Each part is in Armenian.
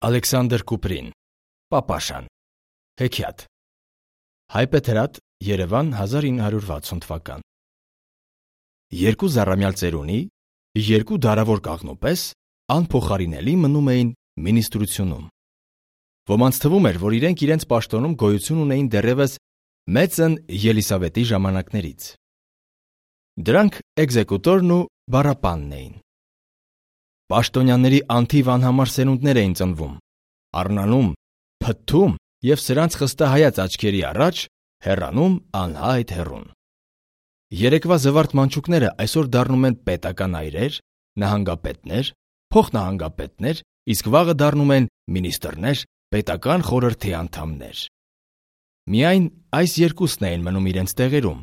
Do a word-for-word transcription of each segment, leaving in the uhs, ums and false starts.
Ալեքսանդր Կուպրին, Պապաշան, Հեքիաթ, Հայպեթրատ, Երևան, հազար ինը հարյուր վաթսուն թվական։ Երկու զառամյալ ծերունի, երկու դարավոր կաղնու պես անփոխարինելի մնում էին մինիստրությունում։ Ոմանց թվում էր, որ իրենք իրենց պաշտոնում գոյություն ունեին դեռևս մեծն Ելիսավետի ժամանակներից։ Դրանք էգզեկուտորն ու բառապանն էին։ Պաշտոնյաների անթիվ անհամար սերունդներ էին ծնվում, առնանում, փթթում և սրանց խստահայաց աչքերի առաջ հեռանում անհայտ հեռուն։ Երեկվա զվարթ մանչուկները այսօր դառնում են պետական այրեր, նահանգապետներ, փոխնահանգապետներ, իսկ վաղը դառնում են մինիստրներ, պետական խորհրդի անդամներ։ Միայն այս երկուսն էին մնում իրենց տեղերում,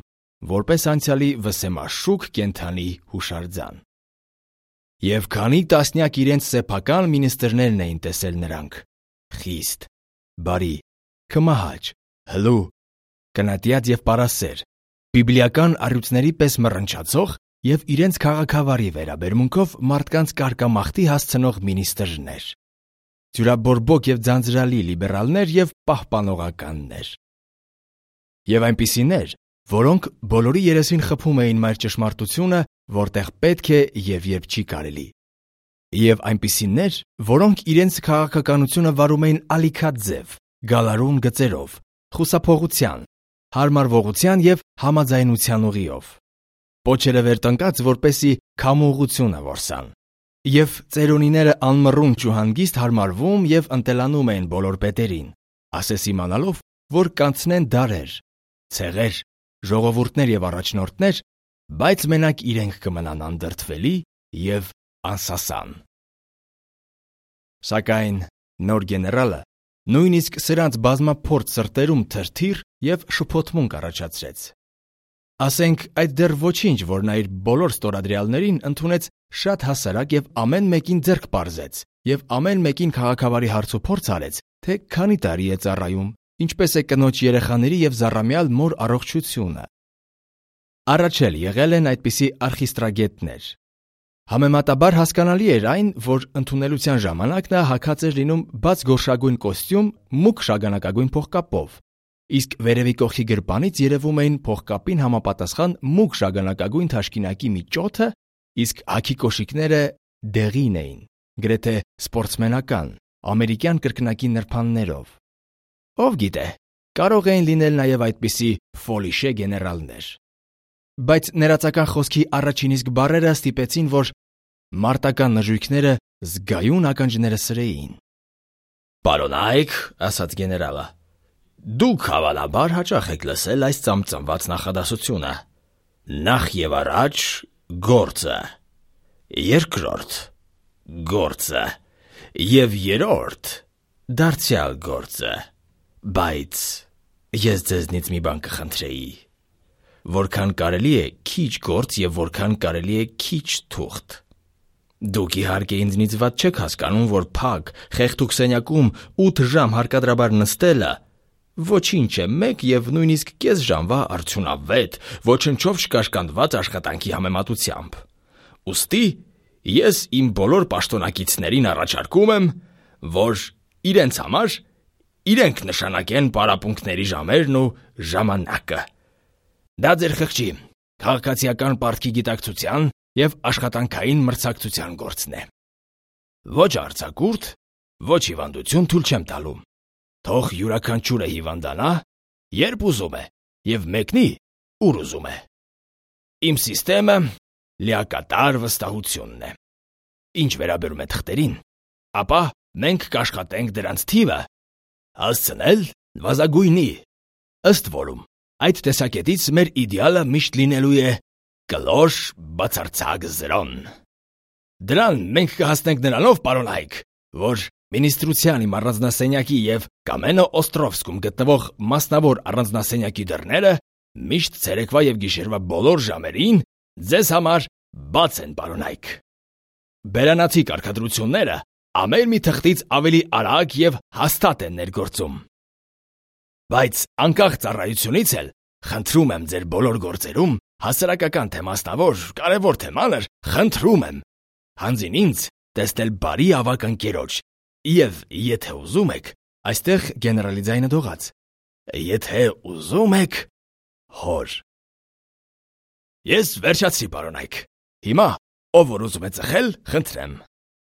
որպես անցյալի վսեմաշուք կենդանի հուշարձան։ Եվ քանի տասնյակ իրենց սեփական մինիստրներն էին տեսել նրանք՝ խիստ, բարի, քմահաճ, հլու, կնատյաց և պարասեր, բիբլիական առյուծների պես մռնչացող և իրենց քաղաքավարի վերաբերմունքով մարդկանց կարկամախտի հասցնող մինիստրներ, ձյուրաբորբոք և ձանձրալի լիբերալներ և պահպանողականներ։ Եվ այնպիսիներ, որոնք բոլորի երեսին խփում էին մայր ճշմարտությունը, որտեղ պետք է և երբ չի կարելի։ Եվ այնպիսիներ, որոնք իրենց քաղաքականությունը վարում էին ալիքաձև, գալարուն գծերով, խուսափողության, հարմարվողության և համաձայնության ուղիով, պոչերը վեր տնկած, որպեսզի քամուղությունը որսան։ Եվ ծերունիները անմռունչ ու հանգիստ հարմարվում և ընտելանում էին բոլոր պետերին, ասես իմանալով, որ կանցնեն դարեր, ցեղեր, ժողովուրդներ և առաջնորդներ, բայց մենակ իրենք կմնան անդրդվելի և անսասան։ Սակայն նոր գեներալը նույնիսկ սրանց բազմափորձ սրտերում թրթիռ և շփոթմունք առաջացրեց։ Ասենք, այդ դեռ ոչինչ, որ նա իր բոլոր ստորադրյալներին ընդունեց շատ հասարակ և ամեն մեկին ձեռք պարզեց և ամեն մեկին քաղաքավարի հարցուփորձ արեց, թե քանի տարի է ծառայում, ինչպես է կնոջ երեխաների և զառամյալ մոր առողջությունը։ Առաջ էլ եղել են այդպիսի արխիստրագետներ։ Համեմատաբար հասկանալի էր այն, որ ընդունելության ժամանակ նա հագած էր լինում բաց գորշագույն կոստյում մուգ շագանակագույն փողկապով, իսկ վերևի կողքի գրպանից երևում էին փողկապին համապատասխան մուգ շագանակագույն թաշկինակի մի ճոթը, իսկ հագի կոշիկները դեղին էին, գրեթե սպորտսմենական, ամերիկյան կրկնակի նրբաններով։ Ով գիտե, կարող էին լինել նաև այդպիսի ֆոլիշե գեներալներ։ Բայց ներածական խոսքի առաջին իսկ բառերը ստիպեցին, որ մարտական նժույգները զգայուն ականջները սրեին։ «Պարոնայք», ասաց գեներալը, «դուք հավանաբար հաճախ եք լսել այս ծամծամված նախադասությունը. նախ և առաջ գործը, երկրորդ գործը և երրորդ դարձյալ գործը, բայց ես ձեզնից մի բան կխնդրեի. որքան կարելի է քիչ գործ և որքան կարելի է քիչ թուղթ։ Դուք իհարկե ինձնից վատ չեք հասկանում, որ փակ, խեղդուկ սենյակում ութ ժամ հարկադրաբար նստելը ոչինչ է մեկ և նույնիսկ կես ժամվա արդյունավետ, ոչնչով չկաշկանդված աշխատանքի համեմատությամբ։ Ուստի ես իմ բոլոր պաշտոնակիցներին առաջարկում եմ, որ իրենց համար իրենք նշանակեն պարապմունքների ժամերն ու ժամանակը։ Դա ձեր խղճի, քաղաքացիական պարտքի գիտակցության և աշխատանքային մրցակցության գործն է։ Ոչ արձակուրդ, ոչ հիվանդություն թույլ չեմ տալու։ Թող յուրաքանչյուրը հիվանդանա, երբ ուզում է, և մեկնի, ուր ուզում է։ Իմ սիստեմը լիակատար վստահությունն է։ Ինչ վերաբերում է թղթերին, ապա մենք կաշխատենք դրանց թիվը հասցնել նվազագույնի, ըստ որում այդ տեսակետից մեր իդեալը միշտ լինելու է կլոր բացարձակ զրոն։ Դրան մենք կհասնենք նրանով, պարոնայք, որ մինիստրության իմ առանձնասենյակի և Կամենո Օստրովսկում գտնվող մասնավոր առանձնասենյակի դռները միշտ ցերեկվա և գիշերվա բոլոր ժամերին ձեզ համար բաց են, պարոնայք։ Բերանացի կարգադրությունները ամեն մի թղթից ավելի արագ և հաստատ են ներգործում։ Բայց անկախ ծառայությունից էլ խնդրում եմ ձեր բոլոր գործերում, հասարակական թե մասնավոր, կարևոր թե մանր, խնդրում եմ հանձին ինձ տեսնել բարի ավագ ընկերոջ, Եվ եթե ուզում եք, այստեղ գեներալի ձայնը դողաց. Եթե ուզում եք, հոր։ Ես վերջացրի, պարոնայք։ Հիմա, ով որ ուզում է ծխել, խնդրեմ։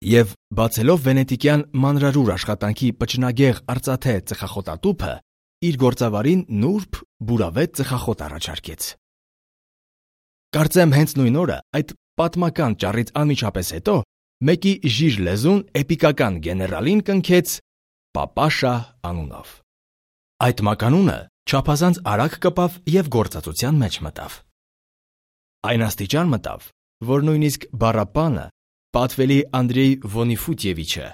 Եվ բացելով վենետիկյան մանրարուր աշխատանքի պճնագեղ արծաթե ծխախոտատուփը, իր գործավարին նուրբ, բուրավետ ծխախոտ առաջարկեց։ Կարծեմ հենց նույն օրը այդ պատմական ճառից անմիջապես հետո մեկի ժիժ լեզուն էպիկական գեներալին կնքեց Պապաշա անունով։ Այդ մականունը չափազանց արագ կպավ և գործածության մեջ մտավ։ Այն աստիճան մտավ, որ նույնիսկ բառապանը, պատվելի Անդրեյ Վոնիֆուտյևիչը,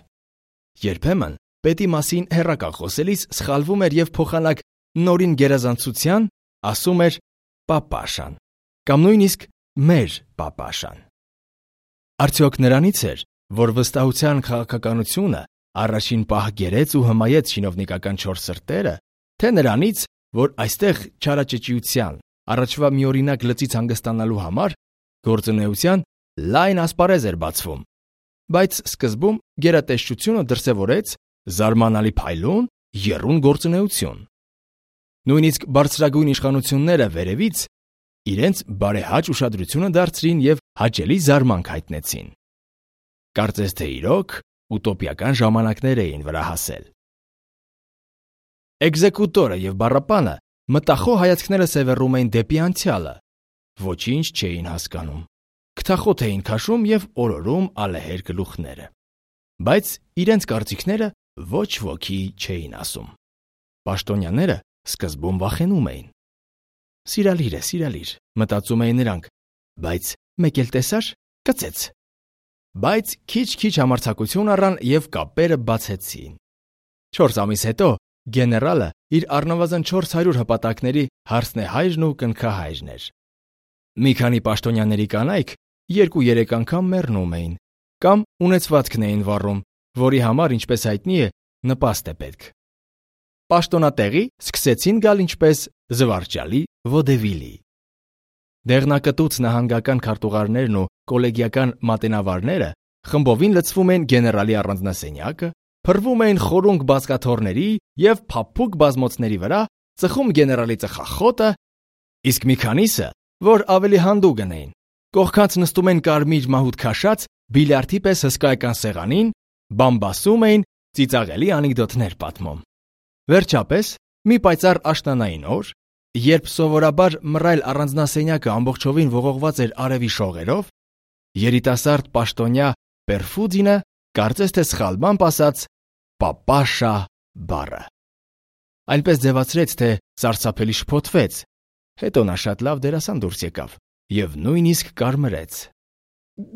երբեմն պետի մասին հեռակալ խոսելիս սխալվում էր և փոխանակ նորին գերազանցության ասում էր Պապաշան, կամ նույնիսկ մեր Պապաշան։ Արդյոք նրանից էր, որ վստահության քաղաքականությունը առաջին պահ գերեց ու հմայեց շինովնիկական չոր սրտերը, թե նրանից, որ այստեղ չարաճճիության, առաջվա միօրինակ լծից հանգստանալու համար գործունեության լայն ասպարեզ էր բացվում, բայց սկզբում գերատեսչությունը դրսևորեց զարմանալի փայլուն, եռուն գործունեություն։ Նույնիսկ բարձրագույն իշխանությունները վերևից իրենց բարեհաճ ուշադրությունը դարձրին և հաճելի զարմանք հայտնեցին։ Կարծես թե իրոք ուտոպիական ժամանակներ էին վրա հասել։ Էկզեկուտորը և բառապանը մտախոհ հայացքները սևեռում էին դեպի անցյալը, ոչինչ չէին հասկանում, քթախոտ էին քաշում և օրորում ալեհեր գլուխները, բայց իրենց կարծիքները ոչ ոքի չէին ասում։ Պաշտոնյաները սկզբում վախենում էին։ Սիրալիր է, սիրալիր, մտածում էին նրանք, բայց մեկ էլ տեսար, կծեց։ Բայց քիչ-քիչ համարձակություն առան և կապերը բացեցին։ Չորս ամիս հետո գեներալը իր առնվազն չորս հարյուր հպատակների հարսնեհայրն ու կնքահայրն էր։ Մի քանի պաշտոնյաների կանայք երկու-երեք անգամ մեռնում էին, կամ ունեցվածքն էին վառում, որի համար, ինչպես հայտնի է, նպաստ է պետք։ Պաշտոնատեղի սկսեցին գալ ինչպես զվարճալի վոդևիլի։ Դեղնակտուց նահանգական քարտուղարներն ու կոլեգիական մատենավարները խմբովին լցվում են գեներալի առանձնասենյակը, փռվում էին խորունկ բազկաթոռների և փափուկ բազմոցների վրա, ծխում գեներալի ծխախոտը, իսկ մի քանիսը, որ ավելի հանդուգն էին, կողքած նստում են կարմիր մահուտ քաշած բիլիարդի պես հսկայական սեղանին, բամբասում էին, ծիծաղելի անեկդոտներ պատմում։ Վերջապես, մի պայծառ աշնանային օր, երբ սովորաբար մռայլ առանձնասենյակը ամբողջովին ողողված էր արևի շողերով, երիտասարդ պաշտոնյա Պերֆուդինը կարծես թե սխալմամբ ասաց Պապաշա բառը։ Այնպես ձևացրեց, թե սարսափելի շփոթվեց, հետո նա շատ լավ դերասան դուրս եկավ և նույնիսկ կարմրեց։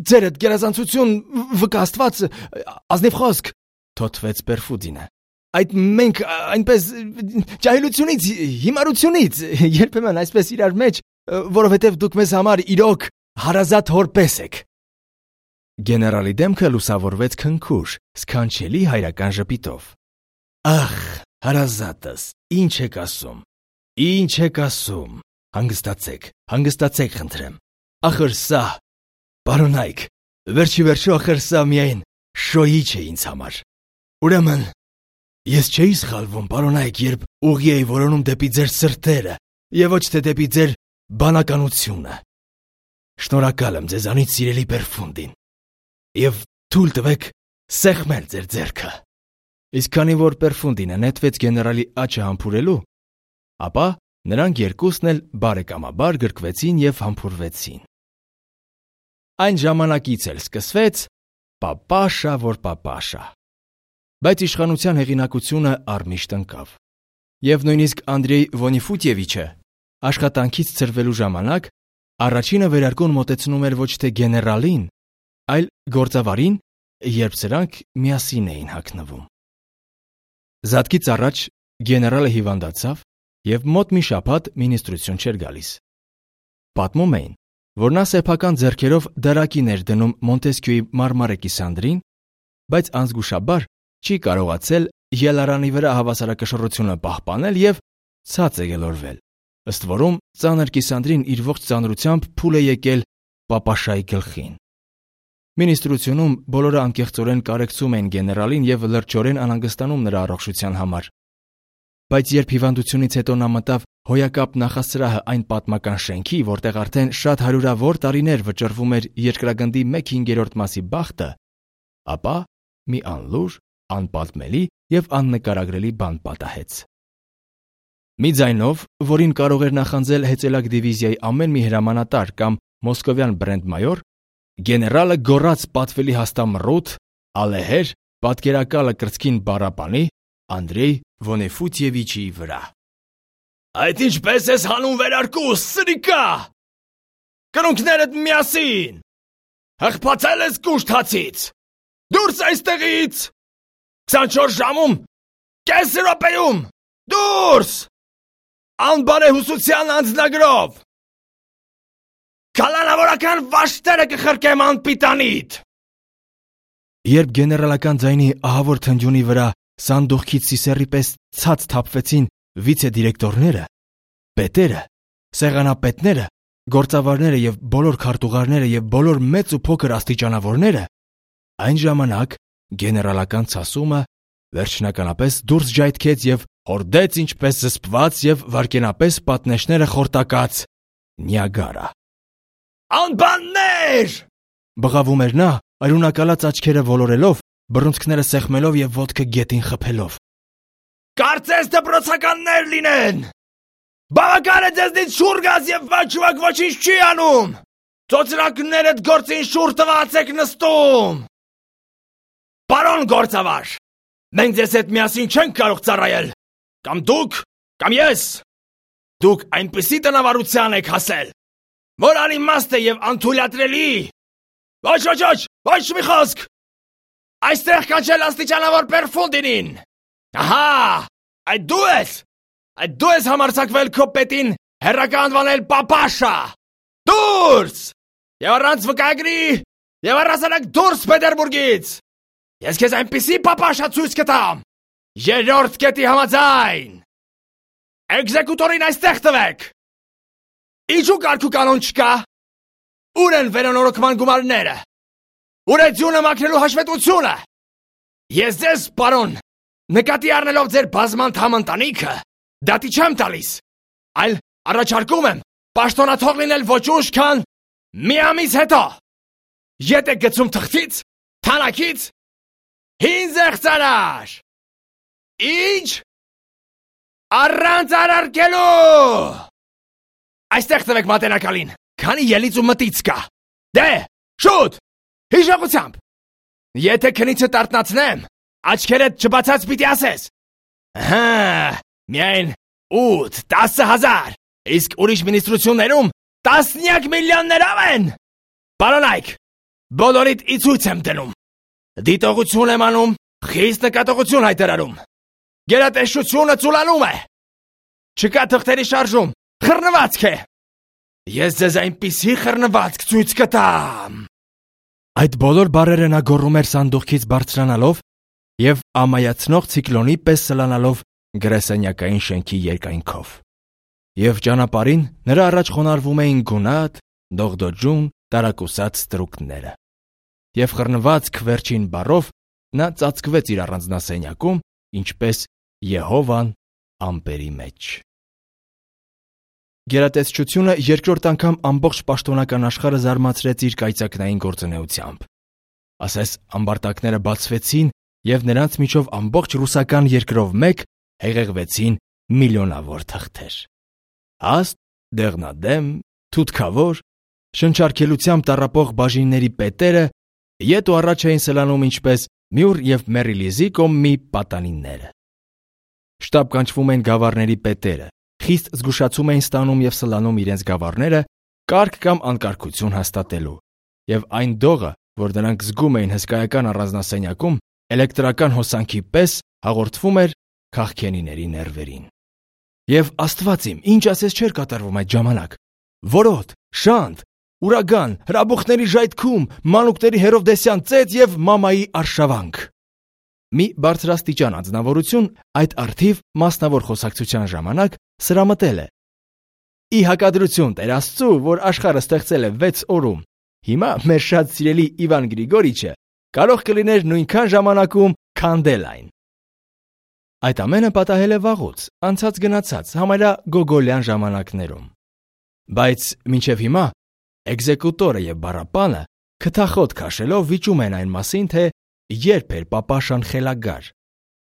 Ձերդ գերազանցություն, վկա Աստված, ազնիվ խոսք, թոթվեց Պերֆուդինը։ Այդ մենք այնպես ջահելությունից, հիմարությունից, երբեմն այսպես իրար մեջ, որովհետև դուք մեզ համար իրոք հարազատ հոր պես եք։ Գեներալի դեմքը լուսավորվեց քնքուշ, սքանչելի հայրական ժպիտով։ Ախ, հարազատս, ինչ եք ասում, ինչ եք ասում, հանգստացեք, հանգստացեք խնդրեմ, ախր սա, պարոնայք, վերջի վերջո ախր սա միայն շոյիչ է ինձ համար, ուրեմն, ես չէի սխալվում, պարոնայք, երբ ուղի էի որոնում դեպի ձեր սրտերը և ոչ թե դեպի ձեր բանականությունը։ Շնորհակալ եմ ձեզանից, սիրելի Պերֆունդին, և թույլ տվեք սեղմել ձեր ձեռքը։ Իսկ քանի որ Պերֆունդինը նետվեց գեներալի աչը համբուրելու, ապա նրանք երկուսն էլ բարեկամաբար գրկվեցին և համբուրվեցին։ Այն ժամանակից էլ սկսվեց Պապաշա որ Պապաշա։ Բայց իշխանության հեղինակությունը առմիշտ ընկավ։ Եվ նույնիսկ Անդրեյ Վոնիֆուտյևիչը աշխատանքից ցրվելու ժամանակ առաջինը վերարկուն մոտեցնում էր ոչ թե գեներալին, այլ գործավարին, երբ սրանք միասին էին հագնվում։ Զատկից առաջ գեներալը հիվանդացավ և մոտ մի շաբաթ մինիստրություն չէր գալիս։ Պատմում էին, որ նա սեփական ձեռքերով դարակին էր դնում Մոնտեսկյուի մարմարե կիսանդրին, բայց անզգուշաբար չի կարողացել ելարանի վրա հավասարակշռությունը պահպանել և ցած է ելորվել, ըստ որում ծանր կիսանդրին իր ողջ ծանրությամբ փուլ է եկել Պապաշայի գլխին։ Մինիստրությունում բոլորը անկեղծորեն կարեկցում էին գեներալին եւ լրջորեն անհանգստանում նրա առողջության համար։ Բայց երբ հիվանդությունից հետո նա մտավ հոյակապ նախասրահը այն պատմական շենքի, որտեղ արդեն շատ հարյուրավոր տարիներ վճռվում էր երկրագնդի մեկ հինգերորդ մասի բախտը, ապա մի անլուր, անպատմելի եւ աննկարագրելի բան պատահեց։ Մի ձայնով, որին կարող էր նախանձել հեծելակ դիվիզիայի ամեն մի հրամանատար կամ մոսկովյան բրենդմայոր, գեներալը գոռաց պատվելի հաստամռութ, ալեհեր, պատկերակալը կրծքին բառապանի Անդրեյ Վոնեֆուտիևիչի վրա։ Այդ ինչպես ես հանում վերարկուս, սրիկա։ Կրունկներդ միասին։ Հղբացել ես կուշտ Դուրս այստեղից։ քսանչորս ժամում, կես րոպեում, դուրս։ Անբարեհուսության անձնագրով։ Կալանավորական վաշտերը կխրկեմ անպիտանիդ։ Երբ գեներալական ձայնի ահավոր թնջունի վրա սանդուղքից սիսեռի պես ցած թափվեցին վիցե-դիրեկտորները, պետերը, սեղանապետները, գործավարները եւ բոլոր քարտուղարները եւ բոլոր մեծ ու փոքր աստիճանավորները, այն ժամանակ գեներալական ցասումը վերջնականապես դուրս ջայթքեց եւ հորդեց ինչպես զսպված եւ վարկենապես պատնեշները խորտակած Նիագարա։ Անբաններ! Բղավում էր նա, արյունակալած աչքերը ոլորելով, բռունցքները սեղմելով եւ ոտքը գետին խփելով։ Կարծես դպրոցականներ լինեն։ Բավական է ձեզնից շուռ գազ եւ ոչ ոչինչ չի անում։ Ծոցրակներդ գործին շուռ տված եք նստում։ Պարոն գործավար, մենք ձեզ հետ միասին չենք կարող ծառայել։ Կամ դուք, կամ ես։ Դուք այնպիսի տնավարության եք հասել, որ անիմաստ է եւ անթույլատրելի։ Ոչ, ոչ, ոչ, ոչ մի խոսք։ Այստեղ կանչել աստիճանավոր Պերֆունդինին։ Ահա, այդ դու ես։ Այդ դու ես համարձակվել քո պետին հերրական անվանել պապաշա։ Դուրս։ Եվ առանց վկայագրի, եւ առասարակ դուրս Պետերբուրգից։ Ես քեզ այնպիսի պապաշա ցույց կտամ։ Երրորդ կետի համաձայն։ Էկզեկուտորին այստեղ տվեք։ Ինչու կարգու կանոն չկա։ Ուր են վերանորոգման գումարները։ Ուր է ձյունը մաքրելու հաշվետվությունը։ Ես ձեզ, պարոն, նկատի առնելով ձեր բազմանդամ ընտանիքը, դատի չեմ տալիս, այլ առաջարկում եմ պաշտոնաթող լինել ոչ ուշ, քան մի ամիս հետո։ Ետ եք գցում թղթից, թանաքից, հին զեղծարար։ Ինչ։ Առանց արարքելու։ Այստեղ տվեք մատենակալին, քանի ելից ու մտից կա։ Դե, շուտ, հիշողությամբ։ Եթե քնիցը տարտնացնեմ, աչքերդ չբացած պիտի ասես։ Հա, միայն ութ, տասը հազար, իսկ ուրիշ մինիստրություններում տասնյակ միլիոններով են։ Պարոնայք, բոլորիդ ի ցույց եմ դնում։ Դիտողություն եմ անում, խիստ նկատողություն հայտարարում։ Գերատեսչությունը ծուլանում է։ Չկա թղթերի շարժում, խռնվածք է։ Ես ձեզ այնպիսի խռնվածք ցույց կտամ։ Այդ բոլոր բառերը նա գոռում էր սանդուղքից բարձրանալով եւ ամայացնող ցիկլոնի պես սլանալով գրասենյակային շենքի երկայնքով։ Եվ ճանապարհին նրա առաջ խոնարհվում էին գունատ, դողդոջուն, տարակուսած ստրուկները։ Եվ խռնվածք վերջին բառով նա ծածկվեց իր առանձնասենյակում, ինչպես Եհովան ամպերի մեջ։ Գերատեսչությունը երկրորդ անգամ ամբողջ պաշտոնական աշխարհը զարմացրեց իր կայծակնային գործունեությամբ։ Ասես ամբարտակները բացվեցին եւ նրանց միջով ամբողջ ռուսական երկրով մեկ հեղեղվեցին միլիոնավոր թղթեր։ Հաստ, դեղնադեմ, թութքավոր, շնչարկելությամբ տառապող բաժինների պետերը ետ ու առաջ էին սլանում ինչպես Մյուր եւ Մերիլիզի կոմի պատանիները։ Շտապ կանչվում են գավառների պետերը, խիստ զգուշացում էին ստանում եւ սլանում իրենց գավառները կարգ կամ անկարգություն հաստատելու, եւ այն դողը, որ դրանք զգում էին հսկայական առանձնասենյակում, էլեկտրական հոսանքի պես հաղորդվում էր քաղքենիների ներվերին։ Եվ Աստված իմ, ինչ ասես չէր կատարվում այդ ժամանակ։ Որոտ, շանտ, ուրագան, հրաբուխների ժայթքում, մանուկների հերովդեսյան ծեծ եւ մամայի արշավանք։ Մի բարձրաստիճան անձնավորություն այդ արդիվ մասնավոր խոսակցության ժամանակ սրամտել է. Ի հակադրություն Տեր Աստծու, որ աշխարհը ստեղծել է վեց օրում, Հիմա մեր շատ սիրելի Իվան Գրիգորիչը կարող կլիներ նույնքան ժամանակում, քան Դելայն։ Այդ ամենը պատահել է վաղուց, անցած գնացած, համարյա գոգոլյան ժամանակներում։ Բայց մինչև հիմա էկզեկուտորը եւ բառապանը քթախոտ քաշելով վիճում են այն մասին, թե երբ էր պապաշան խելագար,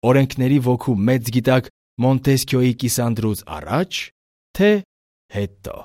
օրենքների ոգու մեծ գիտակ Մոնտեսքյոյի կիսանդրուց առաջ, թե հետո։